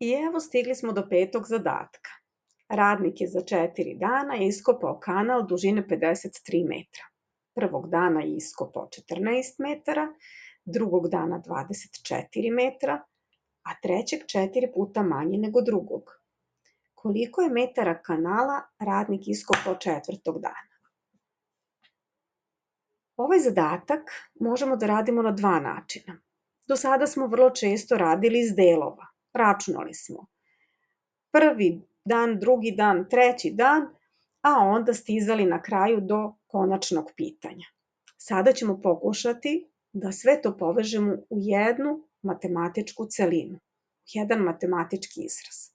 I evo stigli smo do 5. zadatka. Radnik je za 4 dana iskopao kanal dužine 53 metra. Prvog dana je iskopao 14 metara, drugog dana 24 metra, a trećeg 4 puta manje nego drugog. Koliko je metara kanala radnik iskopao 4. dana? Ovaj zadatak možemo da radimo na 2 načina. Do sada smo vrlo često radili iz delova. Računali smo prvi dan, drugi dan, treći dan, a onda stizali na kraju do konačnog pitanja. Sada ćemo pokušati da sve to povežemo u jednu matematičku celinu, jedan matematički izraz.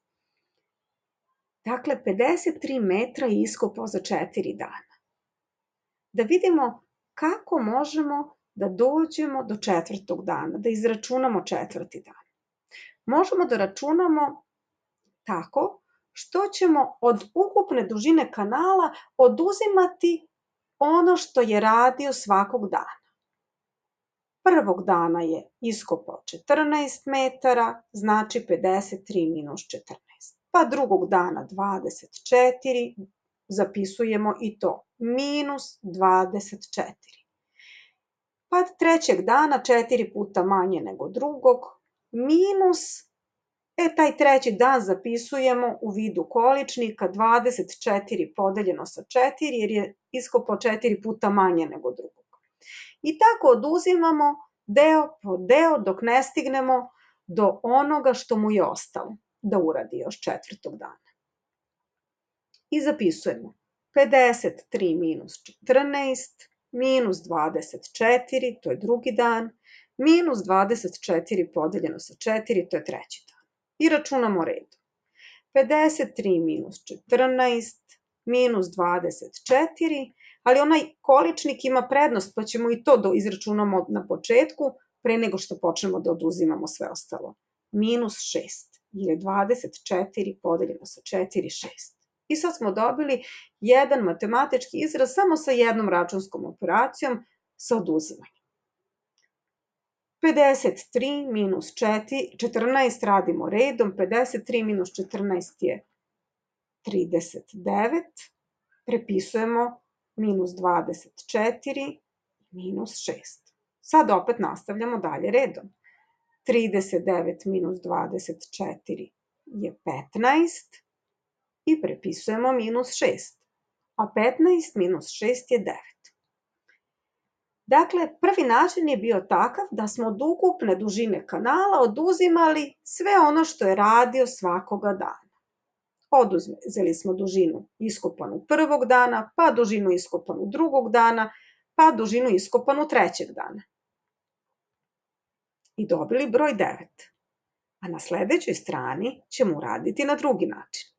Dakle, 53 metra je iskopao za 4 dana. Da vidimo kako možemo da dođemo do 4. dana, da izračunamo 4. dan. Možemo da računamo tako što ćemo od ukupne dužine kanala oduzimati ono što je radio svakog dana. Prvog dana je iskopao 14 metara, znači 53 minus 14. Pa drugog dana 24, zapisujemo i to, minus 24. Pa trećeg dana 4 puta manje nego drugog, minus, taj treći dan zapisujemo u vidu količnika 24 podeljeno sa 4, jer je iskopao 4 puta manje nego drugog. I tako oduzimamo deo po deo dok ne stignemo do onoga što mu je ostalo da uradi još 4. dana. I zapisujemo 53 minus 14, minus 24, to je drugi dan, minus 24 podeljeno sa 4, to je treći dan. I računamo redom. 53 minus 14, minus 24, ali onaj količnik ima prednost, pa ćemo i to da izračunamo na početku, pre nego što počnemo da oduzimamo sve ostalo. Minus 6, jer je 24 podeljeno sa 4, 6. I sad smo dobili jedan matematički izraz samo sa jednom računskom operacijom sa oduzimanjem. 53 minus 14 radimo redom, 53 minus 14 je 39, prepisujemo minus 24, minus 6. Sad opet nastavljamo dalje redom. 39 minus 24 je 15 i prepisujemo minus 6, a 15 minus 6 je 9. Dakle, prvi način je bio takav da smo od ukupne dužine kanala oduzimali sve ono što je radio svakoga dana. Oduzeli smo dužinu iskopanu prvog dana, pa dužinu iskopanu drugog dana, pa dužinu iskopanu trećeg dana. I dobili broj 9. A na sledećoj strani ćemo uraditi na drugi način.